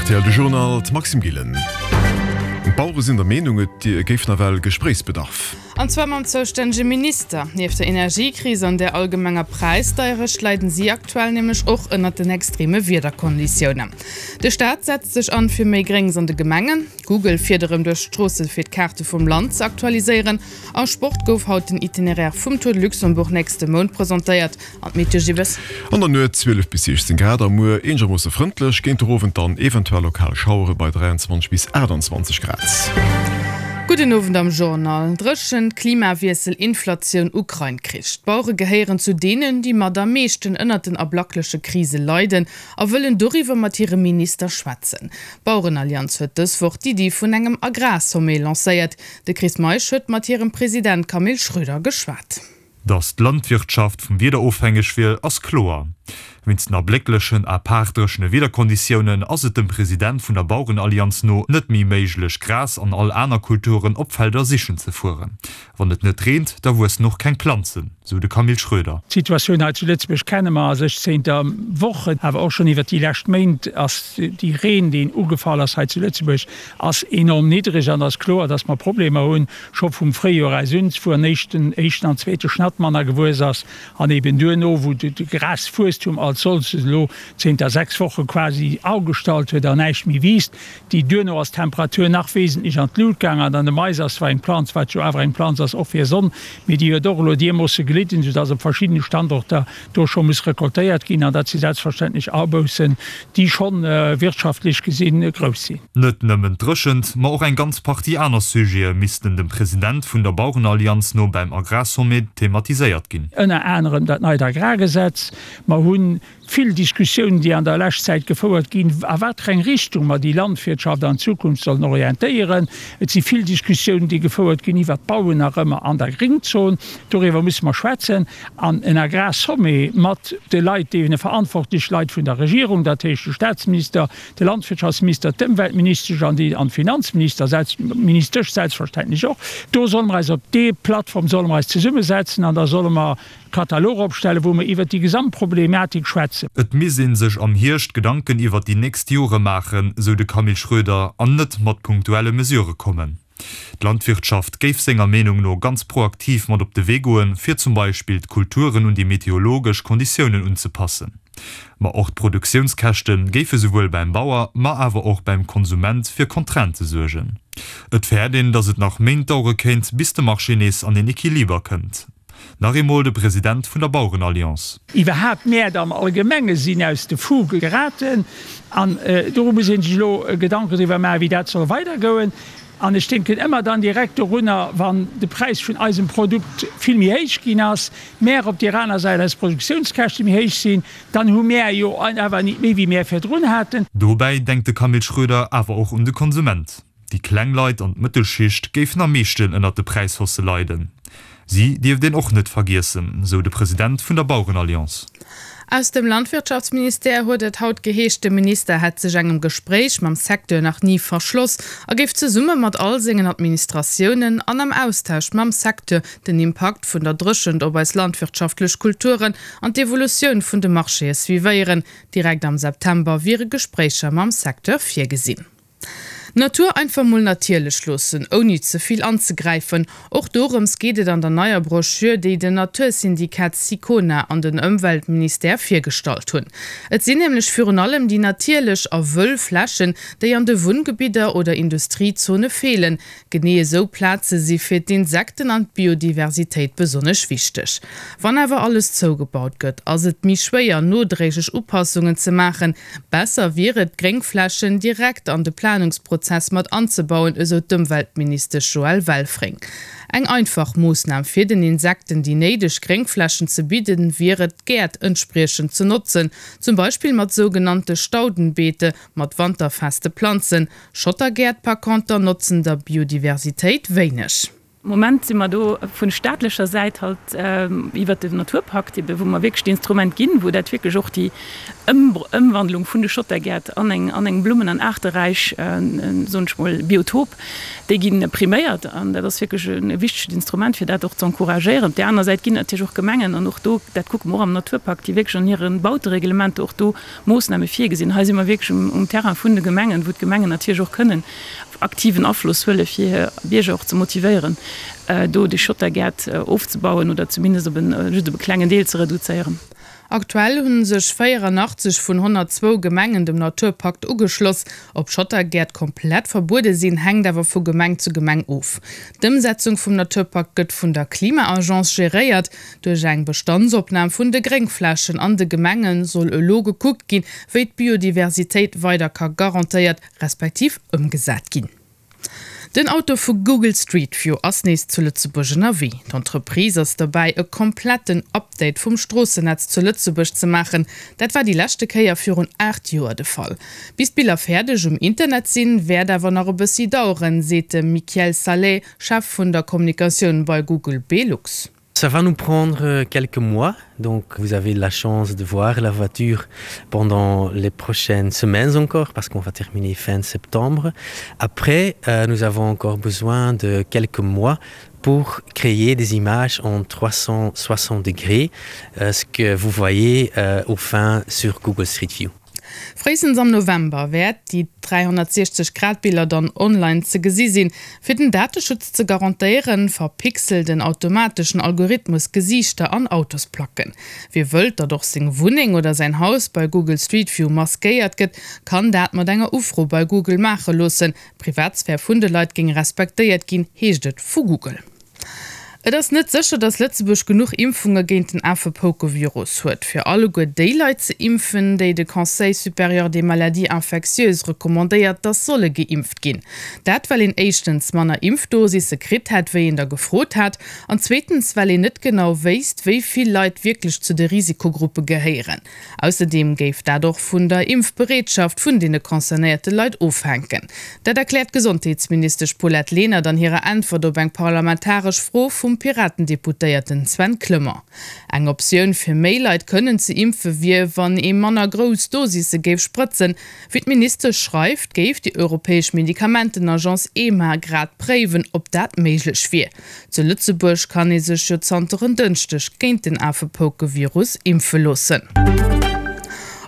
Rtl De Journal, d'Maxime Gillen. D'Bauere sinn der Meenung, et géif nawell Gespréichsbedarf. An zwar mam zoustännege Minister. Nieft der Energiekris an der allgemenger Präisdeierecht leiden si aktuell nämlech och ënnert den extreme Wiederkonditiounen. De Staat setzt sech an fir méi Gréngs an de Gemengen. Google fiert erëm duerch d'Stroosse fir d'Kaarte vum Land ze aktualiséieren. Am Sport gouf haut den Itinéraire vum Tour de Luxembourg nächste Mount presentéiert. An d'Meteo Gibbes? An der Nuet 12 bis 16 Grad a muer eenegermoosse frëndlech, géint de Owend dann eventuell lokal Schauere bei 23 bis 28 Grad. Gudden Owend am Journal. Dréchent, Klimawiessel, Inflatioun, Ukrain-Krich. D'Bauere gehéieren zu deenen, déi mat am meeschten ënnert den ablackleche Krise leiden a wëllen doriwwer mat hirem Minister schwätzen. D'Bauerenallianz huet dës Woch d'Iddi vun engem Agrarsommet lancéiert. De Chris Meisch huet mat hirem President Camille Schroeder geschwat. Datt d'Landwirtschaft vum Wieder ofhängeg wier, ass kloer. Wéinst den erblécklechen apaart dréchene Wiederkonditiounen ass et dem President vun der Bauerenallianz no net méi méiglech, Gras an all aner Kulturen op Felder sichen ze fueren. Wann et net reent, da wuessen och keng Planzen, sou de Camille Schroeder. D'Situatioun hei zu Lëtzebuerg kenne mer a sech zénter Wochen, awer och schonn iwwert déi lescht Méint ass déi Reen, deen ugefall ass hei zu Lëtzebuerg, ass enorm niddreg an ass kloer, dass mer Problemer hunn, scho vum Fréijoer aus un, wou an éischten éischten an zweete Schnatt manner gewuess ass an eben duerno, wou de Graswuesstum als solches elo zénter 6 Woche quasi agestallt huet an näischt méi wiisst. Déi duerno ass d'Temperatur nach wesentlech an d'Lut gaang an an de Mais ass zwar eng Planz, wat jo awer eng Planz ass och fir Sonn, mee déi huet och elo diermoosse gelidden, soudass op verschiddene Standorter do scho muss recoltéiert ginn an dat si selbstverständlech Aboussen, déi scho wirtschaftlech gesi grouss sinn. Net nëmmen d'Dréchent, ma och eng ganz Partie aner Sujete missten dem President vun der Bauerenallianz no beim Agrarsommet thematiséiert ginn. Ënner anerem dat neit Agrargesetz. Mer hu vill Diskussiounen, déi an der lescht Zäit gefouert ginn, a wat fir eng Richtung mer déi Landwirtschaft an Zukunft sollen orientéieren. Et si vill Diskussiounen, déi gefouert ginn iwwert d'Bauen nach ëmmer an der Gringzon. Doriwwer musse mer schwätzen. An en Agrarsommet mat de Leit, deene verantwortlech Leit vun der Regierung, dat heescht de Statsminister, de Landwirtschaftsminister, d'Ëmweltministesch an déi an d'Finanzminister, ministesch selbstverständlech och, do solle mer eis op dee Plattform solle mer eis zesummesetzen an da solle mer e Katalog opstellen, wou mer iwwert déi Gesamtproblematik schwätzen. Et misst ee sech am Hierscht Gedanken iwwert déi nächst Jore maachen, sou de Camille Schroeder, an net mat punktuelle Mesurë kommen. D'Landwirtschaft géif senger Meenung no ganz proaktiv mat op de Wee goen, fir zum Beispill d'Kulturen un déi meteorologesch Konditiounen unzepassen. Ma och d'Produktiounskäschte géife souwuel beim Bauer, ma awer och beim Konsument fir Contraintë suergen. Et fäert een, datt et nach Méint dauere kéint, bis de Marché nees an een Equiliber kënnt. Nach eemol de President vun der Bauerenalliance. Iwwerhaapt d'Mäert am Allgemenge sinn aus de Fuge geraten an doru muss ee sech elo Gedanken driwwer maachen, wéi dat soll weidergoen. An ech denken ëmmer dann direkt dorunner, wann de Präis vun eisem Produkt vill méi héich ginn ass, mär op deer aner Säit eis Produktiounskäschte méi héich sinn, dann hu mär jo awer nit méi wéi mär virdrun haten. Dobäi denkt de Camille Schroeder awer och un de Konsument. Déi kleng Leit an d'Mëttelschicht géifen am meeschten ënnert de Präishaussë leiden. Si dierft een och net vergiessen, sou de President vun der Bauerenalliance. Aus dem Landwirtschaftsministère huet et haut geheescht, de Minister hätt sech engem Gespréich mam Secteur nach ni verschloss a géif zesumme mat all sengen Administratiounen an am Austausch mam Secteur den Impakt vun der Dréchent op eis landwirtschaftlech Kulturen an d'Evolutioun vun de Marchéë suivéieren. Direkt am September wiere Gespréicher mam Secteur virgesinn. D'Natur einfach mol natierlech loossen, ouni ze vill anzegräifen, och dorëms geet et an der neier Broschür, déi den Natursyndikat Sicona an den Ëmweltministère virgestallt hunn. Et sinn nämlech virun allem déi natierlech a wëll Flächen, déi an de Wunngebidder oder Industriezone feelen, Genee esou Plaze si fir d'Insekten an d'Biodiversitéit besonnesch wichteg. Wann awer alles zougebaut gëtt, ass et méi schwéier, nodréiglech Upassungen ze maachen. Besser wier et, d'Gréngflächen direkt an de Planungsprozess mat anzebauen, esou d'Ëmweltministesch Joëlle Welfring. Eng einfach Moossnam fir den Insekten déi néideg Gréngflächen ze bidden, wier et, d'Gäert entspriechend ze notzen, zum Beispill mat sougenannte Staudenbeete mat wanterfeste Planzen. Schottergäert par conter notzen der Biodiversitéit wéineg. Moment si mer do vu staatlecher Säit halt iwwert den Naturpakt ebe wou mer wierklech d'Instrument ginn, wou dat wierklech och déi Ëmwandlung vun de Schottergäert an eng an eng blummen an aarteräich, soen ech mol, Biotop, déi gi priméiert an dat ass wierklech e wichtegt Instrument fir dat och ze encouragéieren. Op där aner Säit ginn et natierlech och Gemengen an och do, dat kucke mer och am Naturpakt, déi wierklech an hire Bautereglementer och do Moossname virgesinn. Hei si mer wierklech um Terrain vun de Gemengen, wou d'Gemengen natierlech och kënnen aktiven Afloss huele fir hir Bierger och ze motivéieren, do déi Schottergäert ofzebauen oder zumindest op en, just op e klengen Deel ze reduzéieren. Aktuell hu sech 84 vun 102 Gemengen dem Naturpakt ugeschloss. Ob Schottergäert komplett verbuede sinn, hänkt awer vu Gemeng zu Gemeng of. D'Ëmsetzung vum Naturpakt gëtt vun der Klima-Agence geréiert. Duerch eng Bestandsopnam vun de Gréngflächen an de Gemenge soll elo gekuckt ginn, wéi d'Biodiversitéit weider ka garantéiert respektiv ëmgesat ginn. Den Auto vu Google Street View ass nees zu Lëtzebuerg ënnerwee. D'Entreprise ass derbäi e kompletten Update vum Stroossenetz zu Lëtzebuerg ze maachen. Dat war déi leschte Kéier virun 8 Joer de Fall. Bis d'Biller fäerdeg um Internet sinn, wäert awer nach e bëssi daueren, seet de Michiel Salé, Chef vun der Kommunikatioun bei Google Belux. Ça va nous prendre quelques mois, donc vous avez la chance de voir la voiture pendant les prochaines semaines encore parce qu'on va terminer fin septembre. Après, euh, nous avons encore besoin de quelques mois pour créer des images en 360 degrés, euh, ce que vous voyez euh, au fin sur Google Street View. Fréistens am November wäert déi 360 Grad Biller dann online ze gesi sinn. Fir den Dateschutz ze garantéieren, verpixelt en automateschen Algorithmus Gesiichter an Autosplacken. Wie wëllt, datt och seng Wunneng oder säin Haus bei Google Street View maskéiert gëtt, kann dat mat enger Ufro bei Google maache loossen. D'Privatsphär vun de Leit géing respektéiert ginn, heescht et vu Google. Et ass net sécher, datt Lëtzebuerg genuch Impfunge géint den Afepoukevirus huet, fir alleguer déi Leit ze impfen, déi de Conseil supérieur des maladies infectieuses recommandéiert, datt solle geimpft ginn. Dat well een éischtens manner Impfdosisse kritt hätt, wéi een der gefrot hat, an zweetens well een net genau wéisst, wéi vill Leit wierklech zu de Risikogruppe gehéieren. Ausserdeem géif dat och vun der Impfbereetschaft vun deene concernéierte Leit ofhänken. Dat erkläert d'Gesondheetsministesch Paulette Lenert an hirer Äntwert op eng parlamentaresch Fro vum Piraten-Deputéierten Sven Clement. Eng Optioun fir méi Leit kënnen ze impfe wier, wann ee manner grouss Dosisse géif sprëtzen. Wéi d'Ministesch schreift, géif déi europäesch Medikamentenagence EMA grad préiwen, ob dat méiglech wier. Zu Lëtzebuerg kann ee sech jo zanter en Dënschdeg géint den Afepoukevirus impfe loossen.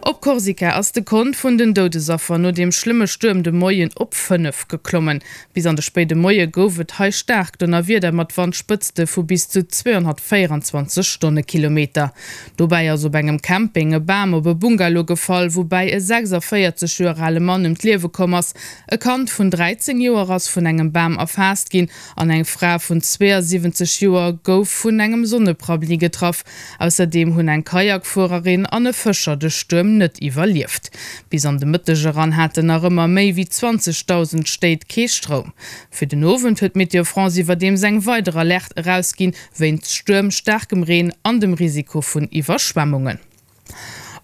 Op Korsika ass de Kont vun den Doudesaffer no deem schlëmme Stuerm de Moien op 5 geklommen. Bis an de spéide Moie gouf et hei staark Donnerwieder mat Wandspëtzte vu bis zu 224 Stonnekilometer. Dobäi ass op engem Camping e Bam op e Bungalow gefall, woubäi e 46 Joer ale Mann ëm d'Liewe komm ass. E Kand vun 13 Joer ass vun engem Bam erfaasst ginn An eng Fra vun 72 Joer gouf vun engem Sonneprabli getraff. Ausserdeem hunn eng Kajakfuererin an e Fëscher de Stuerm net iwwerlieft. Bis an de Mëtteg eran haten nach ëmmer méi wéi 20.000 Stéit kee Stroum. Fir den Owend huet Météo France iwwerdeems eng weider Alerte erausginn, wéinst Stuerm, staarkem Reen an dem Risiko vun Iwwerschwemmungen.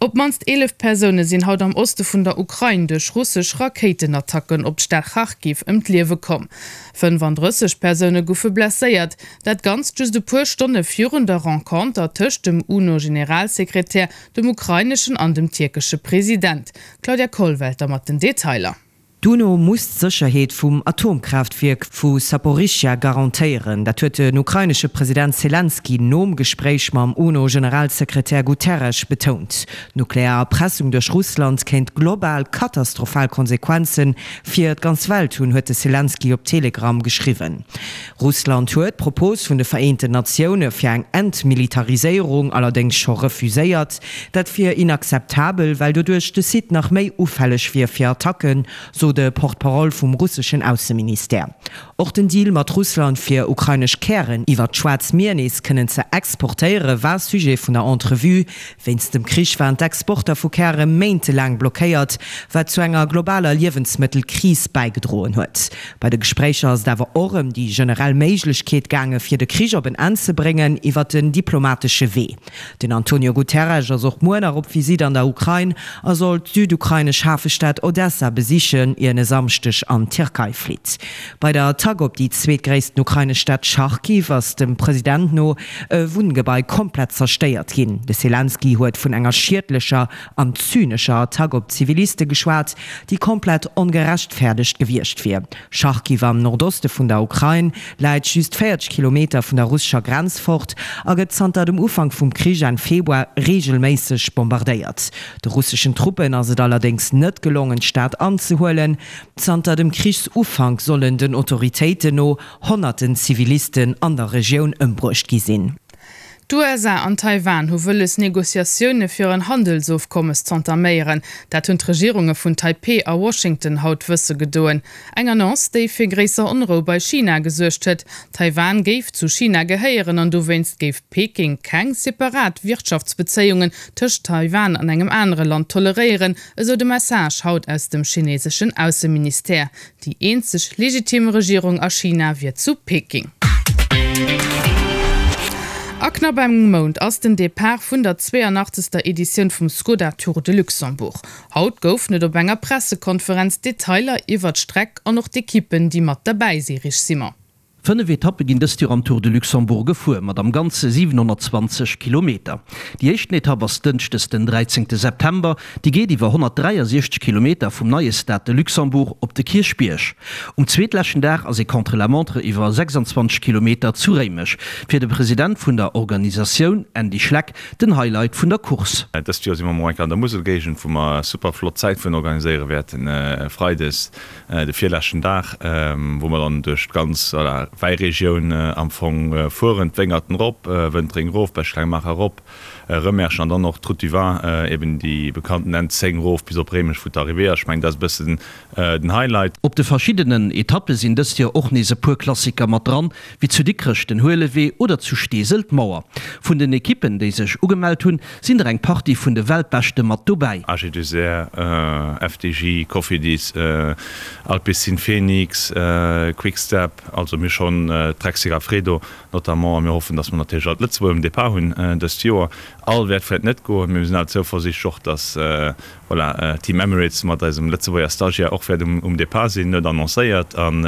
Op d'mannst 11 Persoune sinn haut am Oste vun der Ukrain duerch russesch Rakéitenattacken op d'Stad Charkiw ëm d'Liewe komm. 35 Persoune goufe blesséiert. Dat Ganzt just e puer Stonne virun der Renconter tëscht dem UNO-Generalsekretär, dem ukraineschen an dem tierkesche President. D'Claudia Kollwelter mat den Detailer. D'UNO muss d'Sécherheet vum Atomkraaftwierk vu Saporischschja garantéieren. Dat huet den ukrainesche President Selenskyj nom Gespréich mam UNO-Generalsekretär Guterres betount. D'nuklear Erpressung duerch Russland kéint global katastrophal Konsequenze fir d'ganz Welt hunn, huet de Selenskyj op Telegram geschriwwen. Russland huet d'Propos vun de Vereenten Natioune fir eng Entmilitariséierung allerdéngs scho refuséiert. Dat wier inakzeptabel, well doduerch de Site nach méi ufälleg wier fir Attacken, sot e Porte-parole vum russeschen Ausseministère. Och den Deal mat Russland fir ukrainesch Kären iwwert d'Schwaarzt Mier nees kënnen ze exportéiere war Sujet vun der Entrevue. Wéinst dem Krich waren d'Exporter vu Käre méintelaang blockéiert, wat zu enger globaler Liewensmëttelkris bäigedroen huet. Bei de Gespréicher ass et awer och ëm déi generell Méiglechkeet gaange fir de Krich op en Enn ze bréngen iwwert den diplomatesche Wee. Den Antonio Guterres ass och muer nach op Visitt an der Ukrain a soll d'südukrainesch Hafestad Odessa besichen. ier en e Samschdeg an d'Tierkei flitt. Bei der Attack op déi zweetgréissten ukrainesch Stad Charkiw ass dem President no e Wunngebai komplett zerstéiert ginn. De Selenskyj huet vun enger schiedlecher an zynescher Attack op Ziviliste geschwat, déi komplett ongerechtfäerdegt gewiescht wier. Charkiw am Nordoste vun der Ukrain läit just 40 Kilometer vun der russescher Grenz fort a gëtt zanter dem Ufank vum Krich Enn Februar reegelméisseg bombardéiert. De russeschen Truppen ass et allerdéngs net gelongen, d'Stad anzehuelen. Zanter dem Krichsufank sollen den Autoritéiten no honnerten Zivilisten an der Regioun ëmbruecht gi sinn. D'USA an Taiwan hu wëlles, Negociatioune fir en Handelsofkommes z'entaméieren. Dat hunn d'Regierunge vun Taipeh a Washington haut wësse gedoen. Eng Annonce, déi fir gréisser Onrou bei China gesuergt huet. Taiwan géif zu China gehéieren an dowéinst géif Peking keng separat Wirtschaftsbezéiungen tëscht Taiwan an engem anere Land toleréieren, esou de Message haut aus dem chineseschen Ausseministère. Déi eenzeg legitim Regierung a China wier zu Peking. A knapp engem Mount ass den Depart vun der 82. Editioun vum Skoda Tour de Luxembourg. Haut goufen et op enger Pressekonferenz Detailer iwwer d'Streck an och d'Ekippen, déi mat derbäi si. Rich Simon. 5 Etappe ginn dëst Joer am Tour de Luxembourg gefuer, mat am Ganze 720 Kilometer. Déi éischten Etapp ass dënschdes den 13 September, déi geet iwwer 163 Kilometer vum neie Stade de Luxembourg op de Kierchbierg. Um zweetleschten Dag ass ee Contre-la-montre iwwer 26 Kilometer zu Réimech. Fir de President vun der Organisatioun, Andy Schleck, den Highlight vun der Course. Dëst Joer si mer mol eng Kéier an der Muselgéigend, wou mer super flott Zäitfueren organiséiere wäerten, freides De virleschten Dag, wou mer dann duerch d'ganz, voilà, Wäiregioun am Fong fueren, d'Wéngerten erop, Wëntreng erof, Bech-Klengmaacher erop, Rëmerschen an dann och d'Route du Vin, eben déi bekannten N10 erof bis op Réimech, wou d'Arrivée ass. Ech mengen, dat ass e bëssen den Highlight. Op de verschiddenen Etappe sinn dëst Joer och nees e puer Klassiker mat dran, wéi zu Dikrech den Huelewee oder zu Steesel d'Mauer. Vun den Ekippen, déi sech ugemellt hunn, sinn der eng Partie vun de Weltbeschte mat dobäi. AG2R, FDJ, Cofidis, Alpecin Fenix, Quick Step, also mir schonn Trek Segafredo notamment. A mir hoffen, datt mer natierlech all d'Lëtzebuerger um Depart hunn dëst Joer. All wäert vläit net goen, mee mir sinn awer zouversiichtlech och, datt Voilà, Team Emirates mat eisem Lëtzebuerger Stagiaire och wäert um Depart sinn, huet annoncéiert. An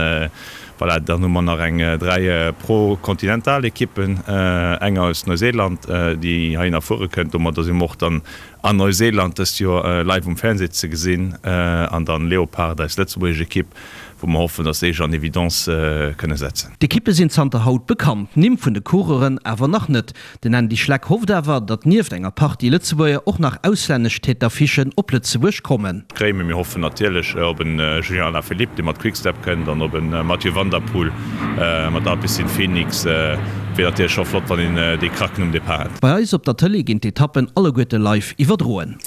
voilà, dann hu mer nach eng 3 Pro-Continental Ekippen, eng aus Neuseeland, déi heihinner fuere kënnt. Domadder si mer och dann an Neuseeland dëst Joer live um Fernseh ze gesinn. An dann Leopard, eis lëtzebuergesch Ekipp, wou mer hoffen, dass déi sech an Evidence kënne setzen. D'Ekippe sinn zanter haut bekannt, d'Nimm vun de Coureuren awer nach net. Den Andy Schleck hofft awer, datt nieft enger Partie Lëtzebuerger och nach auslännesch Tête d'affichen op Lëtzebuerg kommen. Kréien. Mir hoffen natierlech op en Julien Alaphilippe, dee mat Quick-Step kënnt, an op en Mathieu van der Poel mat Alpecin Fenix. Wier natierlech scho flott, wann een déi Kracken um Depart hätt. Bei eis op der Tëlee ginn d'Etappen alleguerte live iwwerdroen.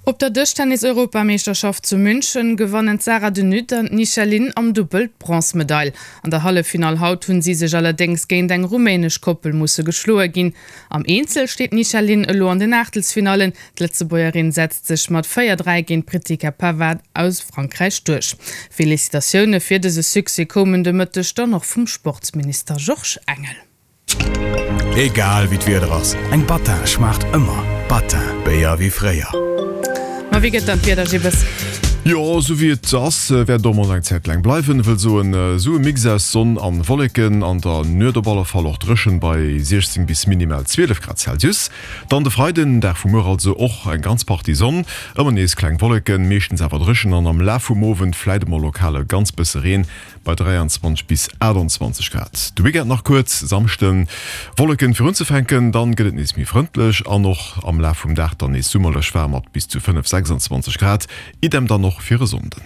Op der Dëschtennis-Europameeschterschaft zu München gewannen d'Sarah de Nutte an d'Nisha Lin am Dubbel d'Bronzmedail. An der Halleffinall haut hunn si sech allerdéngs géint eng rumänesch Koppel musse geschloe ginn. Am Eenzel steet d'Nisha Lin elo an den Aachtelsfinallen. D'Lëtzebuergerin setzt sech mat 4, 3 géint d'Pritika Pavard aus Frankräich duerch. Felicitatioune fir dëse Succès koumen de Mëtteg dann och vum Sportsminister Georges Engel. Egal wéi d'Wieder ass, eng Battin schmaacht ëmmer. Battin, Béier wéi fréier. Ma wéi gëtt dann d'Wieder, Gibbes? Jo, esou wéi et ass, wäert et och mol eng Zäit laang bleiwen. Wëll soen, esou e Mix aus Sonn an Wolleken, an der Nuet op alle Fall och dréchen bei 16 bis minimal 12 Grad Celsius. Dann de Freiden, Dag vu muer also, och eng ganz Partie Sonn, ëmmer nees kleng Wolleken, meeschtens awer dréchen an am Laf vum Owend fläit emol lokal e ganz bësse Reen bei 23 bis 28 Grad. De Weekend nach kuerz, Samschden Wolleken fir unzefänken, dann gëtt et nees méi frëndlech an och am Laf vum Dag dann nees summerlech waarm mat bis zu 5, 26 Grad. Idem dann och fir e Sonnden.